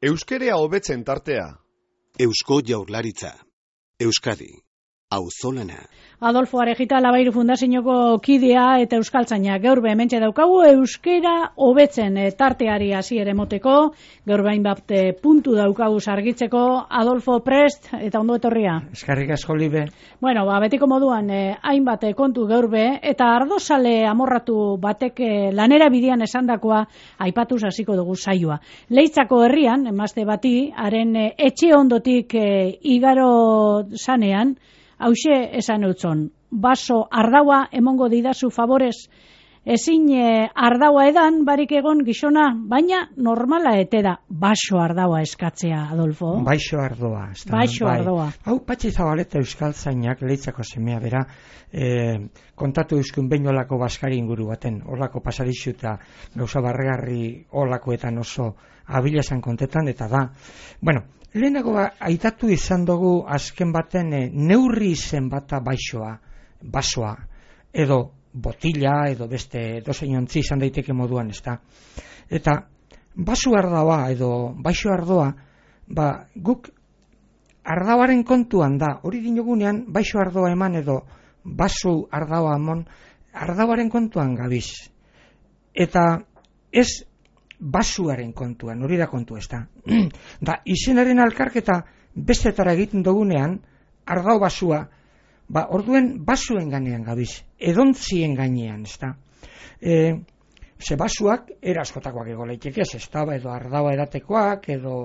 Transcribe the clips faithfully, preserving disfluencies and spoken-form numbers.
Euskerea hobetzen tartea. Eusko Jaurlaritza. Euskadi. Auzolana. Adolfo Arejita Labairu Fundazioko kidea eta euskaltzaina gaur hementxe daukagu euskera hobetzen tarteari hasiera emoteko, gaur bain bat puntu daukagu argitzeko. Adolfo, prest eta ondo etorria. Eskerrik asko libe. Bueno, ba, betiko moduan eh, hainbat kontu gaur be, eta ardozale amorratu batek eh, lanera bidean esandakoa aipatuz hasiko dugu saioa. Leitzako herrian, emazte bati, haren eh, etxe ondotik eh, igaro sanean, hauxe esan eutzon, baso ardaua emongo didazu favorez, ezin e, ardaua edan barik egon gizona, baina normala ete da baso ardaua eskatzea, Adolfo. Baixo ardoa. Baixo bai. ardoa. Hau, Patxi Zabaleta euskaltzainak, Leitzako semea bera, e, kontatu euskun behin olako baskari inguru baten, olako pasadixu eta gauza barregarri olakoetan oso abilesan kontetan, eta da, bueno, lehenago ba, aitatu izan dugu azken baten e, neurri izen bata baixoa, basoa, edo botila, edo beste dozein ontzi izan daiteke moduan, ezta. Eta basu ardoa, edo baixo ardoa, ba, guk ardoaren kontuan da, hori dinogunean, baixo ardoa eman edo basu ardoa emon, ardoaren kontuan gabiz. Eta ez basuaren kontuan, hori da kontu, ez da. Da, izenaren alkarketa bestetara egiten dugunean, ardau basua, ba, orduen basuen ganean gabiz, edontzien gainean, ez da. E, ze basuak, eraskotakoak ego leiteke, ez da, edo ardaua edatekoak, edo,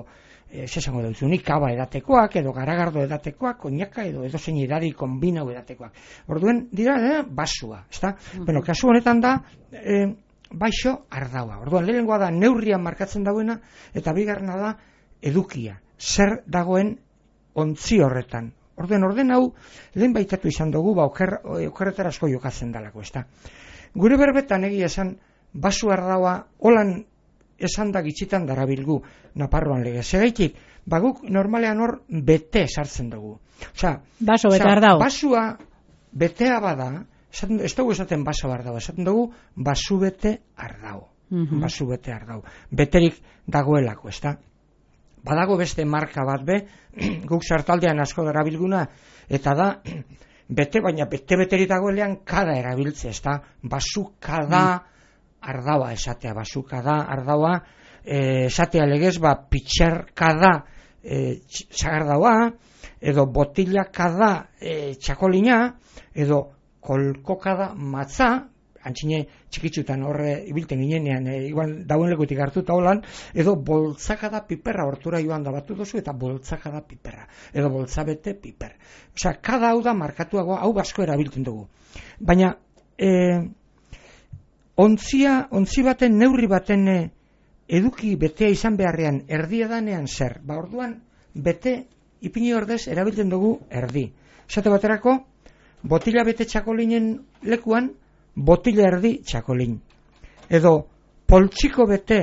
ez esango dutzunik, kaba edatekoak, edo garagardo edatekoak, koñaka, edo edo zein edari kombinau edatekoak. Orduen, dira, eh, basua, ez da. Uh-huh. Bueno, kasu honetan da, eh, baixo ardaua. Orduan, lehenengoa da neurrian markatzen dauena, eta bigarrena da edukia. Zer dagoen ontzi horretan. Orduan, orden hau, lehen baitatu izan dugu, ba, oker, okerretara asko jokatzen dalako, ezta. Gure berbetan egia esan, basu ardaua, holan esan da gitxitan darabilgu, Naparroan lege. Segaitik, baguk normalean hor bete sartzen dugu. Osea, baso bete ardau. Basua betea bada, ez dugu esaten baso ardau, esaten dugu basu bete ardau. Uh-huh. Basu bete ardau. Beterik dagoelako, ez da? Badago beste marka bat be, guk sartaldean asko darabilguna, eta da, bete, baina bete-beteri dagoelean kada erabiltze, ez da? Basu kada ardaua esatea, basu kada ardaua, e, esatea legez, ba, pitxer kada e, sagardaua, edo botila kada e, txakolina, edo kolkokada matza, antxine txikitzutan horre ibilten ginenean, e, igual dauen lekutik hartuta holan, edo boltzakada piperra, hortura joan da batu dozu, eta boltzakada piperra, edo boltzabete piper. Osea, kada hau da markatuagoa, hau asko erabiltzen dugu. Baina, e, ontzia, ontzi baten, neurri baten e, eduki betea izan beharrean, erdi edanean zer. Ba, orduan, bete, ipini ordez, erabiltzen dugu erdi. Esate baterako, botila bete txakolinen lekuan, botila erdi txakolin. Edo poltsiko bete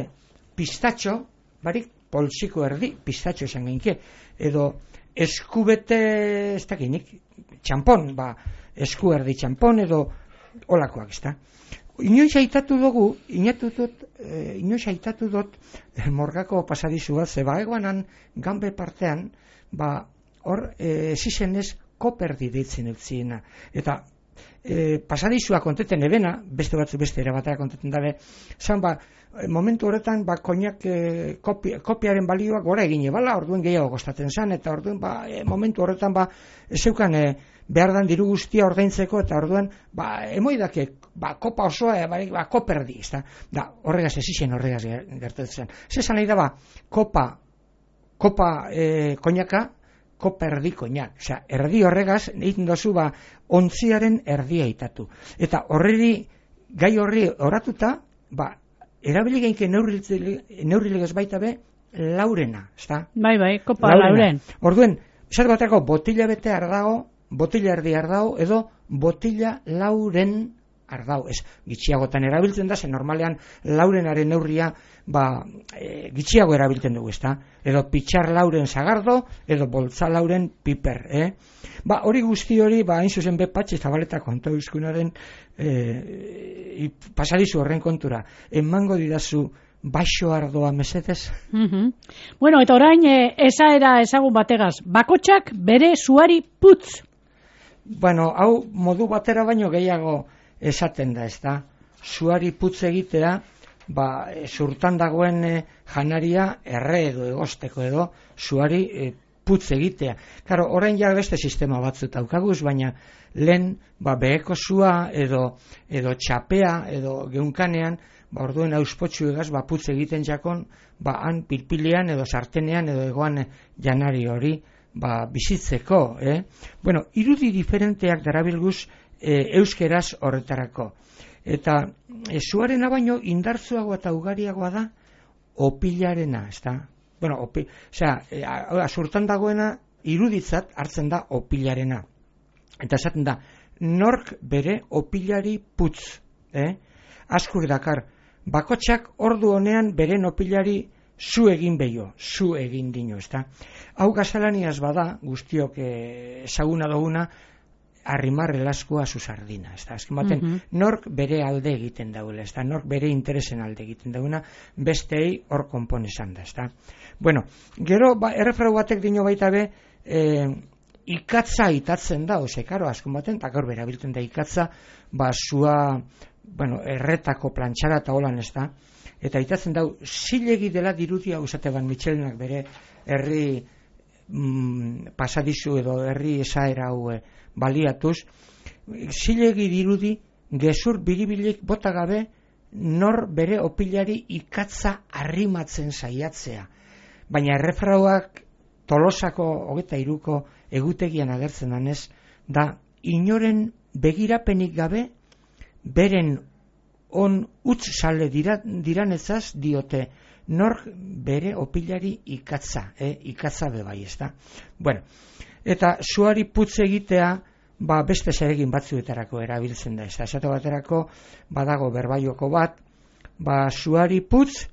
pistatxo, barik poltsiko erdi pistatxo esan gainke. Edo esku bete, ez dakinik, txampon, ba, esku erdi txampon, edo olakoak, ez da. Inoiz aitatu dugu, inatutut, eh, inoiz aitatu dut eh, morgako pasadizu bat, zeba eguanan ganbe partean, ba, hor, eh, zizenez koperdi deitzen eutziena. Eta e, pasadizua konteten ebena, beste batzu beste ere batera konteten dabe, zan ba, momentu horretan, ba, koinak e, kopi, kopiaren balioak gora egin ebala, orduen gehiago kostatzen zan, eta orduen, ba, e, momentu horretan, ba, zeukan e, behar dan diru guztia ordaintzeko, eta orduen, ba, emoidake, ba, kopa osoa, e, ba, koperdi, ez da, da, horregaz ezizien horregaz gertatzen. Zezan nahi da, ba, kopa, kopa e, koinaka, kopa erdi koinak. Osea, erdi horregaz, egiten dozu, ba, ontziaren erdia itatu. Eta horreri, gai horri oratuta, ba, erabili gainke neurrilegez baita be, laurena, ezta? Bai, bai, kopa laurena. Lauren. Orduen, esat batako, botila bete ardago, botila erdi ardago, edo botila lauren ardau. Ez, gitxiagotan erabiltzen da, ze normalean laurenaren neurria, ba, e, gitxiago erabiltzen dugu, ezta? Edo pitxar lauren zagardo, edo boltza lauren piper, eh? Ba, hori guzti hori, ba, hain zuzen be Patxi Zabaleta kontu euskunaren e, pasadizu horren kontura. Emango didazu baixo ardoa mesedez. Mm-hmm. Bueno, eta orain e, esaera ezagun bategaz, bakotxak bere suari putz. Bueno, hau modu batera baino gehiago esaten da, ez da? Suari putz egitea, ba, e, zurtan dagoen e, janaria erre edo egosteko edo suari e, putz egitea. Karo, orain ja beste sistema batzut daukaguz, baina lehen ba, beheko sua edo, edo txapea edo geunkanean, ba, orduen auspotxu egaz, ba, putz egiten jakon, ba, han pilpilean edo sartenean edo egoan janari hori, ba, bizitzeko, eh? Bueno, irudi diferenteak darabilguz e, euskeraz horretarako. Eta e, suarena baino indartzuagoa eta ugariagoa da opilarena, ez da? Bueno, opi, osea, e, azurtan dagoena iruditzat hartzen da opilarena. Eta esaten da, nork bere opilari putz, eh? Askur dakar, bakotxak ordu honean beren opilari zu egin behio, zu egin dino, ez da? Hau gazalaniaz bada, guztiok ezaguna eh, duguna, arrimar elaskua zu sardina, ez da? Azken baten, mm-hmm. nork bere alde egiten daula, ez da? Nork bere interesen alde egiten dauna, bestei hor konpon esan da, ez da? Bueno, gero, ba, errefrau batek dino baita be, eh, ikatza itatzen da, ose, karo, azken baten, eta gaur berabiltzen da ikatza, ba, zua, bueno, erretako plantxara eta holan, ez da? Eta itatzen dau, zilegi dela dirudia, usate ban Michelenak bere herri mm, pasadizu edo herri esaera hau e, baliatuz, zilegi dirudi gezur biribilik bota gabe nor bere opilari ikatza arrimatzen saiatzea. Baina errefrauak Tolosako hogeta iruko egutegian agertzen danez, da inoren begirapenik gabe beren on utz sale dira, diranezaz diote nork bere opilari ikatza, eh? ikatza bebai, ez da? Bueno, eta suari putz egitea, ba, beste zeregin batzuetarako erabiltzen da, ez da? Esate baterako, badago berbaioko bat, ba, suari putz,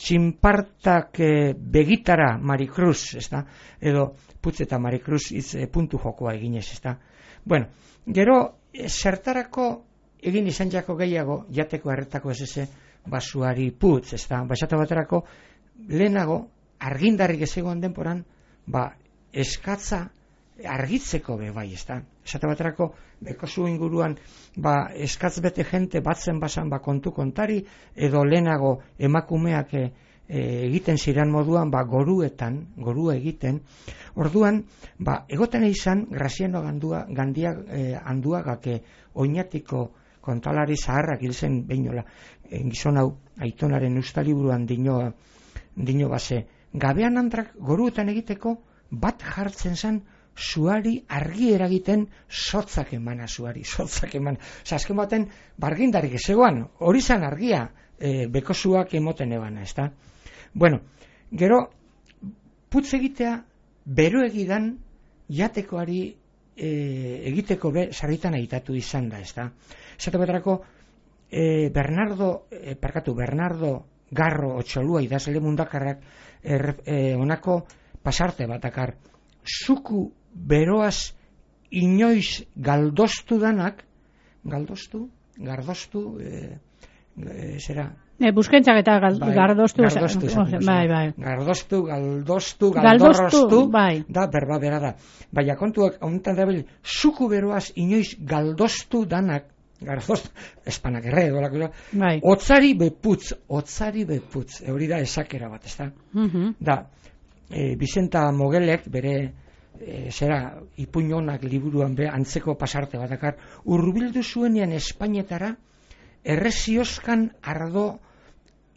txinpartak eh, begitara Marikruz, ez da? Edo putz eta Marikruz iz, eh, puntu jokoa eginez, ez da? Bueno, gero, eh, zertarako egin izan jako gehiago, jateko erretako ez eze, basuari putz, ez da, basata baterako, lehenago, argindarrik ez egoan denporan, ba, eskatza argitzeko be bai, ez da. Esate baterako, bekozu inguruan, ba, eskatz bete jente batzen basan, ba, kontu kontari, edo lehenago emakumeak e, e, egiten ziren moduan, ba, goruetan, gorua egiten, orduan, ba, egoten izan, Graziano gandua, gandia e, handuagak e, oinatiko kontalari zaharrak hil zen behinola, e, gizon hau, aitonaren ustaliburuan dino, dino base, gabean andrak goruetan egiteko, bat jartzen zen, suari argi eragiten sotzak emana suari, sotzak emana. Osa, azken baten, bargindarik ezegoan, hori zan argia, e, bekozuak emoten ebana, ez da? Bueno, gero, putz egitea, bero egidan, jatekoari e, egiteko be, sarritan aitatu izan da, ez da? Esate baterako, e, Bernardo, e, parkatu, Bernardo Garro Otxolua idazle mundakarrak, er, e, onako pasarte batakar, zuku beroaz inoiz galdoztu danak, galdoztu, gardoztu, e, e, zera? E, buskentzak eta gal, bai, gardoztu, gardoztu, o, bai, bai. Gardoztu, galdoztu, galdorroztu, galdoztu, bai. Da, berba bera da. Baina kontuak, honetan da bil, zuku beroaz inoiz galdoztu danak, gardoztu, espanak erre, dolako, bai. Otzari beputz, otzari beputz, hori da esakera bat, ez da? Mm-hmm. Da, e, Bizenta Mogelek, bere, e, zera, ipuñonak liburuan be, antzeko pasarte batakar, urbildu zuenean Espainetara, erreziozkan ardo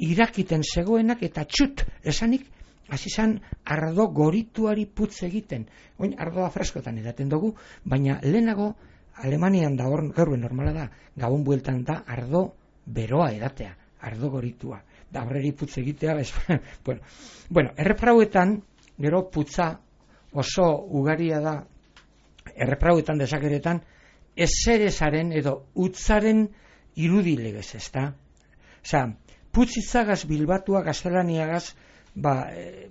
irakiten zegoenak eta txut, esanik, hasi zan ardo gorituari putz egiten. Oin, ardoa freskotan edaten dugu, baina lehenago, Alemanian da hor, gaur normala da, gabon bueltan da ardo beroa edatea, ardo goritua. Da horreri putz egitea, ez, bueno, bueno, erreprauetan, gero putza oso ugaria da, erreprauetan desakeretan, ezerezaren edo utzaren irudilegez, ez da? Osa, putzitzagaz bilbatua gaztelaniagaz, ba,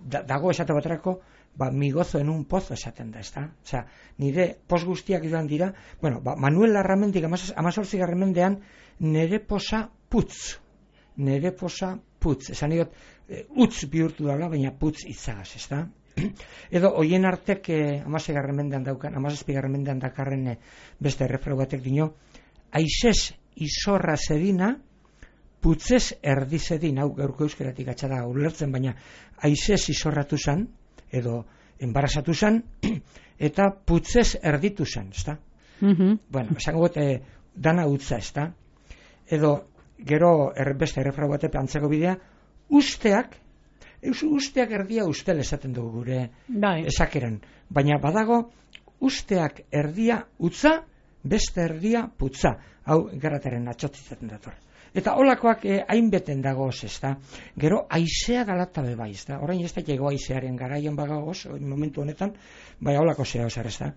da, dago esate baterako, ba, migozo en un pozo esaten da, ez da? Osa, nire poz guztiak joan dira, bueno, ba, Manuel Larramendik amazortzi garremendean nire poza putz nere posa putz, esan diot, e, utz bihurtu dala, baina putz itzagaz, ez da? Edo, hoien artek, eh, amasegarren mendean daukan, amazazpigarren mendean dakarren eh, beste errefrau batek dino, aizez izorra zedina, putzez erdi zedin, hau gaurko euskeratik atxada ulertzen, baina aizez izorratu zan, edo enbarazatu zan, eta putzez erditu zan, ez da? Mhm. Bueno, esango gote, dana utza, ez da? Edo, gero er, beste errefrau batek antzeko bidea, usteak, eus, usteak erdia ustel esaten dugu gure Bai. esakeran, baina badago usteak erdia utza, beste erdia putza, hau garataren atxotzizaten dator. Eta holakoak eh, hainbeten dagoz, ez da? Gero, aizea dalatabe bai, ez da? Orain ez da ego aizearen garaian bagagoz, momentu honetan, bai holako zea osar, ez da?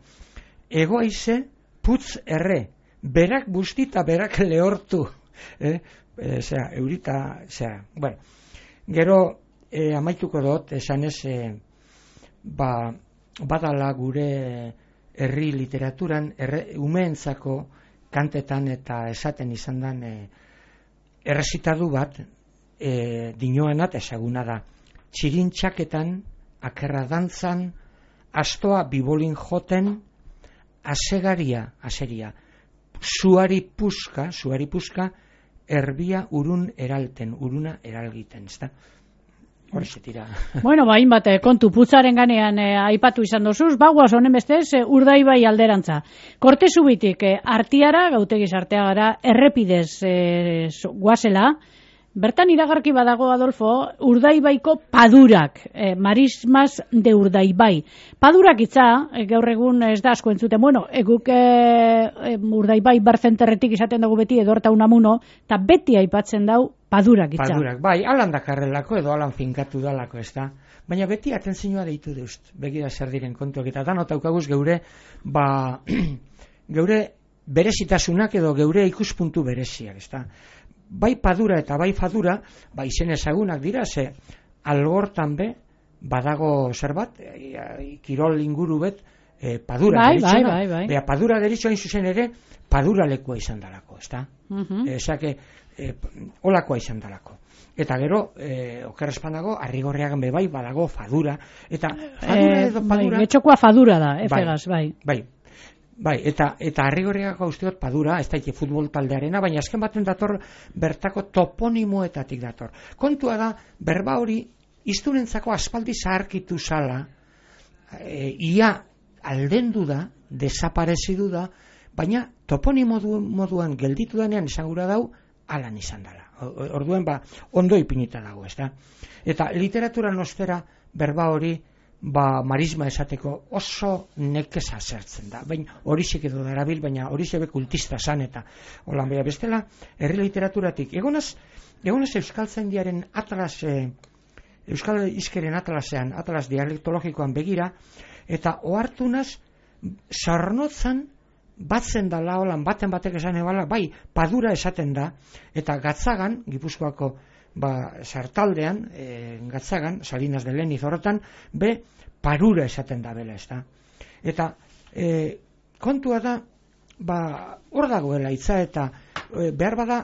Ego aize, putz erre, berak bustita, berak lehortu, eh? E, zera, eurita, zera, bueno, gero, e, amaituko dut, esanez, e, ba, badala gure herri literaturan, erre, umeentzako kantetan eta esaten izan dan, e, errezitadu bat, e, dinoanat ezaguna da, txirintxaketan, akerra dantzan, astoa bibolin joten, asegaria, aseria, suari puska, suari puska, erbia urun eralten, uruna eralgiten, ez da? Horixe tira. Bueno, ba, hainbat, eh, kontu putzaren ganean eh, aipatu izan dozuz, bagoaz honen bestez, eh, Urdaibai alderantza. Korte zubitik, eh, artiara, gautegiz artea gara, errepidez eh, guazela, bertan iragarki badago, Adolfo, Urdaibaiko padurak, eh, marismas de Urdaibai. Padurak itza, eh, gaur egun ez da asko entzuten, bueno, eguk eh, eh, Urdaibai barzenterretik izaten dugu beti edorta unamuno, eta beti aipatzen dau padurak itza. Padurak, bai, alan dakarrelako edo alan finkatu dalako, ez da? Baina beti atentzioa deitu deust, begira zer diren kontuak, eta danot daukaguz geure, ba, geure berezitasunak edo geure ikuspuntu bereziak, ez da? Bai padura eta bai fadura, ba izen ezagunak dira, ze algortan be, badago zerbat, e, kirol inguru bet, e, padura bai, deritzena, bai, bai, bai. Bea, padura deritzoa zuzen ere, padura lekua izan dalako, ez da? Mhm. Esake, e, olakoa izan dalako. Eta gero, e, okerrezpanago, arrigorriagan be bai, badago fadura, eta fadura Eh, edo bai, padura... getxokoa fadura da, efegaz, bai. Bai, bai, eta eta arrigorriagako usteot padura, ez daite futbol taldearena, baina azken baten dator bertako toponimoetatik dator. Kontua da, berba hori, iztunentzako aspaldi zaharkitu zala, e, ia aldendu da, desaparezidu da, baina toponimo moduan gelditu denean esangura dau, alan izan dela. Orduan, ba, ondo ipinita dago, ez da? Eta literaturan ostera, berba hori, ba, marisma esateko oso nekeza zertzen da. Baina horixek edo darabil, baina horixek kultista zan eta holan beha bestela, herri literaturatik. Egonaz, egonaz euskaltzaindiaren atlas, e, euskal izkeren atlasean, atlas dialektologikoan begira, eta ohartunaz, sarnotzan, batzen dala holan, baten batek esan ebala, bai, padura esaten da, eta Gatzagan, Gipuzkoako ba, sartaldean, e, Gatzagan, Salinas de Leniz horretan, be, parura esaten da bela, ez da. Eta e, kontua da, ba, hor dagoela hitza eta e, behar bada,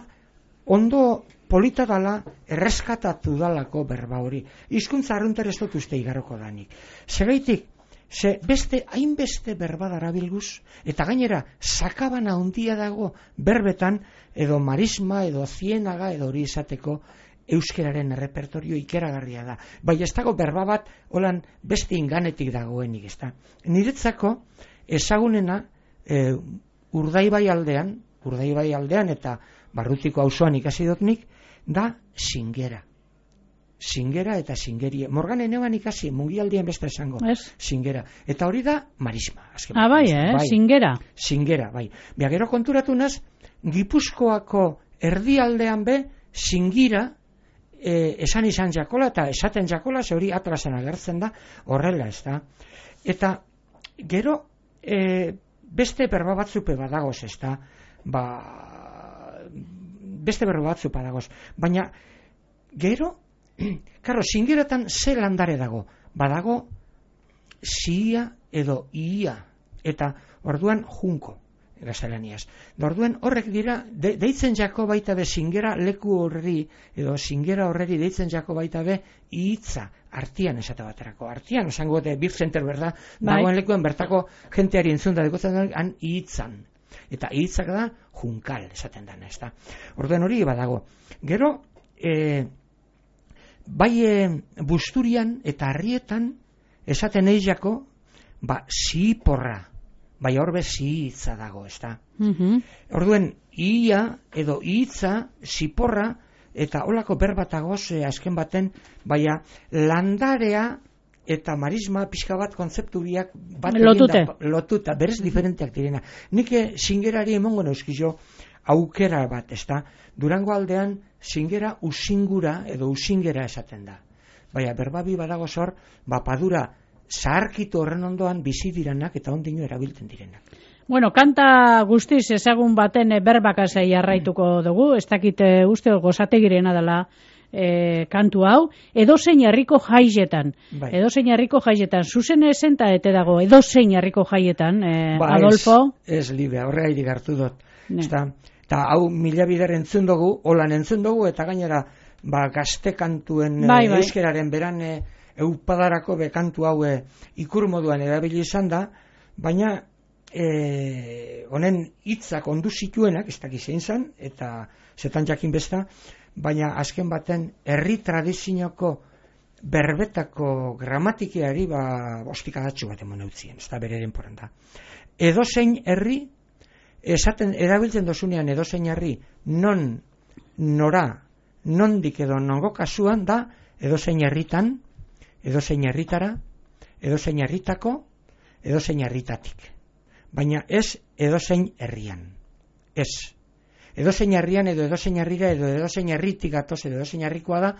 ondo polita dala, erreskatatu dalako berba hori. Hizkuntza arrunter ez dut uste igaroko danik. Zeraitik, ze beste, hainbeste berba darabilguz, eta gainera, sakabana handia dago berbetan, edo marisma, edo zienaga, edo hori izateko, euskeraren errepertorio ikeragarria da. Bai, ez dago berba bat, holan beste inganetik dagoenik, ez da. Niretzako, ezagunena, e, Urdaibai aldean, Urdaibai aldean, eta Barrutiko auzoan ikasi dutnik, da singera. Singera eta singerie. Morganen eban ikasi, mungialdien beste esango. Es. Singera. Eta hori da marisma. Ah, bai, eh? Bai. Singera. Singera, bai. Bia gero konturatu naz, Gipuzkoako erdialdean be, singira, e, esan izan jakola, eta esaten jakola, ze hori atlasen agertzen da, horrela ez da. Eta gero, e, beste berba batzupe badagoz ez da, ba, beste berba batzupe badagoz. Baina, gero, karo, singeratan ze landare dago? Badago, zia edo ia, eta orduan junko. gaztelaniaz. Orduen horrek dira, de, deitzen jako baita be zingera leku horri, edo zingera horreri deitzen jako baita be hitza, artian esate baterako. Artian, esango de Beer Center, berda, bai. Dagoen lekuen bertako jenteari entzun da, dekotzen han hitzan. Eta hitzak da junkal esaten dana, ez da. Orduen hori badago. Gero, e, bai e, busturian eta harrietan esaten eizako, ba, ziporra, bai horbe zihitza dago, ez da. Mhm. Orduen, ia edo hitza, ziporra, eta holako berbatagoz e, azken baten, baina landarea eta marisma pixka bat kontzeptu biak bat Lotute. Da, lotuta, berez diferenteak direna. Nik zingerari emongo neuzkizo aukera bat, ez da. Durango aldean zingera usingura edo usingera esaten da. Baina berbabi badago zor, bapadura zaharkitu horren ondoan bizi diranak eta ondino erabiltzen direnak. Bueno, kanta guztiz ezagun baten e, berbakasei jarraituko dugu, ez dakit e, uste gozategirena dela e, kantu hau, edozein herriko jaietan, Bai. edozein herriko jaietan, zuzen esenta ete dago, edozein herriko jaietan, e, Ba, Adolfo? Ez, ez libe, horregatik hartu dut. Ne. Ezta? Eta hau mila bider entzun dugu, holan entzun dugu, eta gainera ba, gazte kantuen Bai, e, bai. euskeraren beran e, eupadarako bekantu hau e, ikur moduan erabili izan da, baina e, honen hitzak ondu zituenak, ez dakiz zein zan, eta zetan jakin besta, baina azken baten herri tradizioko berbetako gramatikiari ba, ostikadatxu bat emon eutzien, ez da bereren poran da. Edozein herri, esaten erabiltzen dozunean edozein herri, non, nora, nondik edo nongo kasuan da, edozein herritan, edozein herritara, edozein herritako, edozein herritatik. Baina ez edozein herrian. Ez. Edozein herrian edo edozein herrira edo edozein herritik gatoz edo edozein herrikoa da,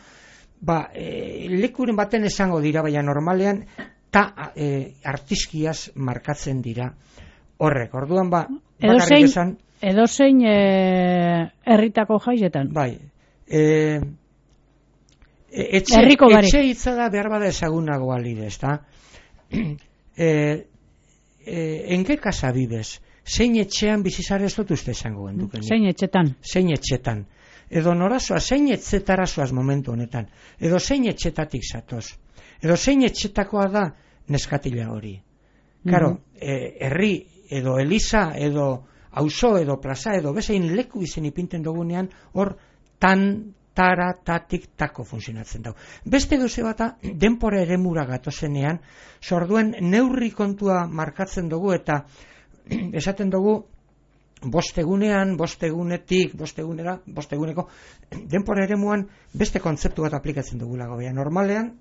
ba, e, lekuren baten esango dira, baina normalean ta e, artizkiaz markatzen dira horrek. Orduan ba, bakarrik esan... Edozein e, herritako jaietan. Bai. E, etxe, Herriko barik. etxe hitza da behar bada ezagunago alide, ez da? E, e, en qué casa vives? Zein etxean bizizare ez dut uste esango genduken. Zein etxetan. Zein etxetan. Edo norazoa, zein etxetarazoaz momentu honetan. Edo zein etxetatik zatoz. Edo zein etxetakoa da neskatila hori. Karo, Mhm. e, herri edo eliza edo auzo edo plaza edo bezein leku izen ipinten dugunean hor tan tara tatik tako funtzionatzen dago. Beste gauze bata denpora eremura gatozenean, zorduen neurri kontua markatzen dugu eta esaten dugu bostegunean, bostegunetik, bostegunera, bosteguneko denpora eremuan beste kontzeptu bat aplikatzen dugulago. Baina normalean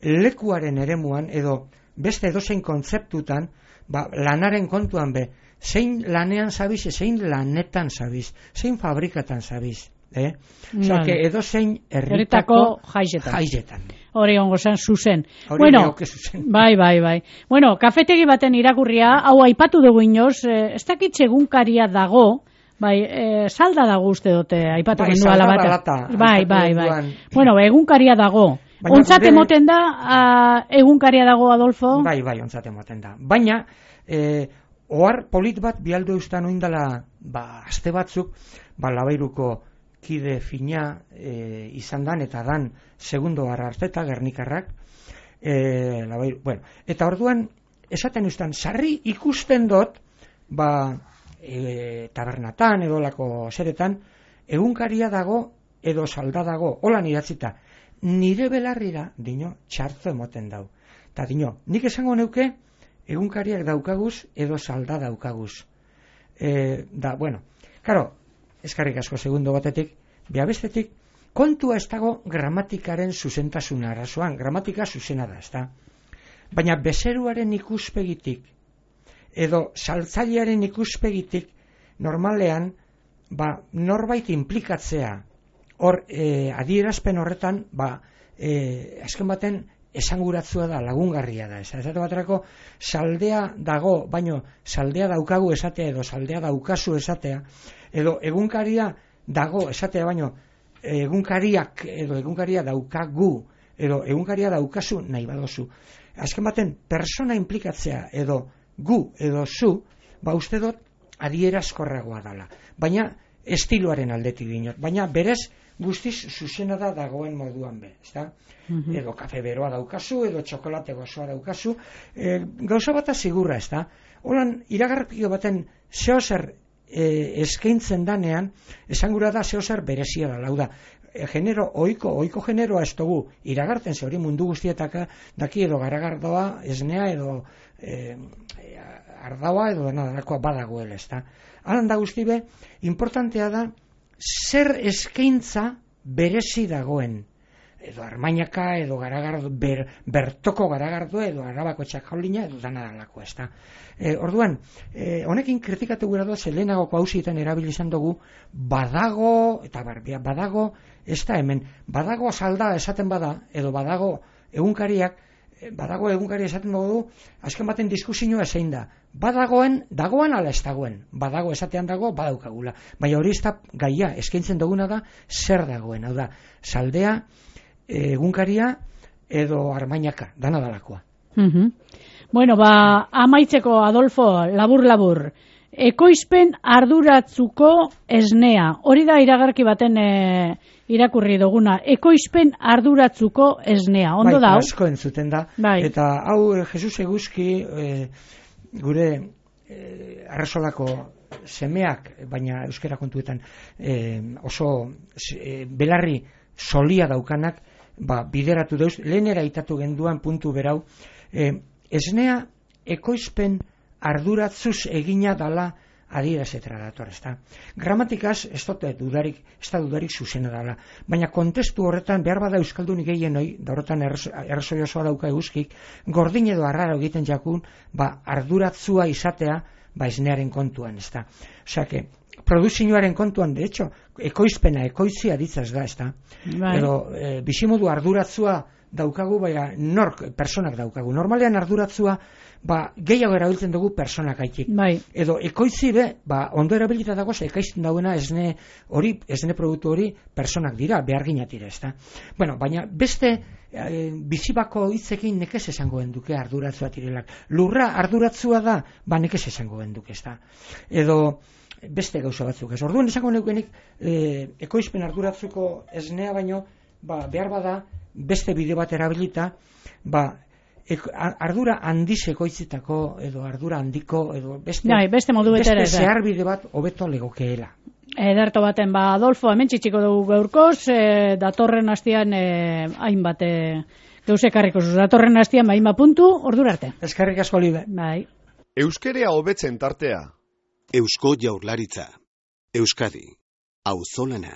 lekuaren eremuan edo beste edozein kontzeptutan, ba, lanaren kontuan be, zein lanean zabiz, zein lanetan zabiz, zein fabrikatan zabiz. Eh? Osea, que edozein herritako jaietan. jaietan. Hori ongo zen zuzen. Hori Bueno, neoke zuzen. bai, bai, bai. Bueno, kafetegi baten irakurria, hau aipatu dugu inoz, eh, ez dakit egunkaria dago, bai, eh, salda dago uste dute, aipatu Bai, gendu ala salda bata. balata, Bai, aipatu bai, bai. genduan. Bueno, egunkaria dago. Baina Ontzat gure- emoten da, ah, egunkaria dago, Adolfo? Bai, bai, ontzat ematen da. Baina, eh, ohar polit bat bialdu eustan oindala, ba, aste batzuk, ba, labairuko kide fina e, izan dan, eta dan segundo harra arteta, gernikarrak, e, labairu, bueno, eta orduan, esaten eustan, sarri ikusten dut, ba, e, tabernatan, edo lako zeretan, egunkaria dago, edo salda dago, holan idatzita, nire belarrira, dino, txartzo emoten dau. Eta dino, nik esango neuke, egunkariak daukaguz, edo salda daukaguz. E, da, bueno, karo, eskarrik asko segundo batetik, bea bestetik, kontua ez dago gramatikaren zuzentasuna arazoan, gramatika zuzena da, ez da. Baina bezeruaren ikuspegitik, edo saltzailearen ikuspegitik, normalean, ba, norbait implikatzea, hor, e, adierazpen horretan, ba, e, azken baten, esanguratzua da, lagungarria da. Ez esate baterako, saldea dago, baino saldea daukagu esatea, edo saldea daukazu esatea, edo egunkaria dago esatea, baino egunkariak, edo egunkaria daukagu, edo egunkaria daukazu nahi badozu. Azken baten, persona implikatzea, edo gu, edo zu, ba uste dut, adierazkorragoa dela. Baina estiloaren aldetik dinot. Baina berez guztiz zuzena da dagoen moduan be, ezta? Mm-hmm. Edo kafe beroa daukazu, edo txokolate gozoa daukazu, e, gauza bata sigurra, ezta? Holan, iragarpio baten zeozer e, eskaintzen danean, esangura da zeozer berezia da, lauda. E, genero, oiko, oiko generoa ez dugu iragartzen, ze hori mundu guztietaka daki edo garagardoa, esnea edo e, ardaua edo dena darakoa badagoela, ezta? Halan da guzti be, importantea da, zer eskaintza berezi dagoen, edo armainaka, edo garagardo, ber, bertoko garagardo, edo arabako txakaulina, edo dana dalako, ezta. E, orduan, e, honekin kritikatu gura doa, zelenagoko hausietan erabili izan dugu, badago, eta barbia, badago, ez da hemen, badago salda esaten bada, edo badago egunkariak, badago egunkari esaten dugu, azken baten diskusioa zein da. Badagoen, dagoen ala ez dagoen. Badago esatean dago, badaukagula. Baina hori ez da gaia, eskaintzen duguna da, zer dagoen. Hau da, saldea, egunkaria, edo armainaka, dana dalakoa. Mm-hmm. Bueno, ba, amaitzeko, Adolfo, labur-labur. Ekoizpen arduratzuko esnea. Hori da iragarki baten e, irakurri duguna. Ekoizpen arduratzuko esnea. Ondo da? Bai, asko entzuten da. Bai. Eta hau, Jesus Eguzki, e, gure e, arrasolako semeak, baina euskera kontuetan e, oso e, belarri solia daukanak, ba, bideratu dauz, lehenera itatu genduan puntu berau, e, esnea ekoizpen arduratzuz egina dala adierazetara dator, ezta. Gramatikaz ez dute dudarik, ez da dudarik zuzena dala, baina kontestu horretan behar bada euskaldun gehienoi, da horretan errazoi osoa dauka Eguzkik, gordin edo arraro egiten jakun, ba, arduratzua izatea, ba, esnearen kontuan, ezta. Osea, que produzioaren kontuan, de hecho, ekoizpena, ekoizia ditzaz da, ezta. Bai. Edo, e, bizimodu arduratzua daukagu, baina nork, personak daukagu. Normalean arduratzua, ba, gehiago erabiltzen dugu personak aitik. Bai. Edo, ekoitzi be, ba, ondo erabilita dago, ekaizten dauena esne hori, esne produktu hori, personak dira, beharginatira, ezta. Bueno, baina beste e, bizibako hitzekin nekez esango genduke arduratzua tirelak. Lurra arduratzua da, ba, nekez esango genduke, ezta. Edo, beste gauza batzuk ez. Orduan esango neukenik e, ekoizpen arduratzuko esnea baino, ba, behar bada beste bide bat erabilita, ba, ek, ardura handiz ekoitzitako edo ardura handiko edo beste, Dai, beste, beste zehar bide bat hobeto legokeela. Ederto baten, ba, Adolfo, hemen txitsiko dugu gaurkoz, e, datorren hastian e, hainbat e, gauzekarriko zuz, datorren hastian hainbat puntu, ordura arte. Eskerrik asko, Libe. Bai. Euskerea hobetzen tartea. Eusko Jaurlaritza. Euskadi. Auzolana.